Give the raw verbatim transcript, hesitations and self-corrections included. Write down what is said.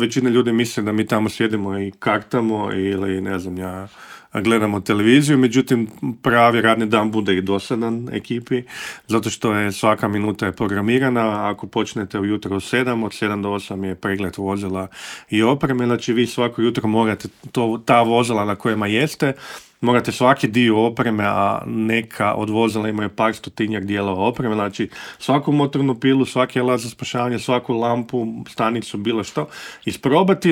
Većina ljudi misle da mi tamo sjedimo i kartamo ili ne znam ja, gledamo televiziju, međutim pravi radni dan bude i dosadan ekipi, zato što je svaka minuta je programirana. Ako počnete ujutro u sedam, od sedam do osam je pregled vozila i opreme, znači vi svako jutro morate to, ta vozila na kojima jeste, morate svaki dio opreme, a neka od vozila imaju par stotinjak dijelova opreme, znači svaku motornu pilu, svaki alat za spašavanje, svaku lampu, stanicu, bilo što, isprobati.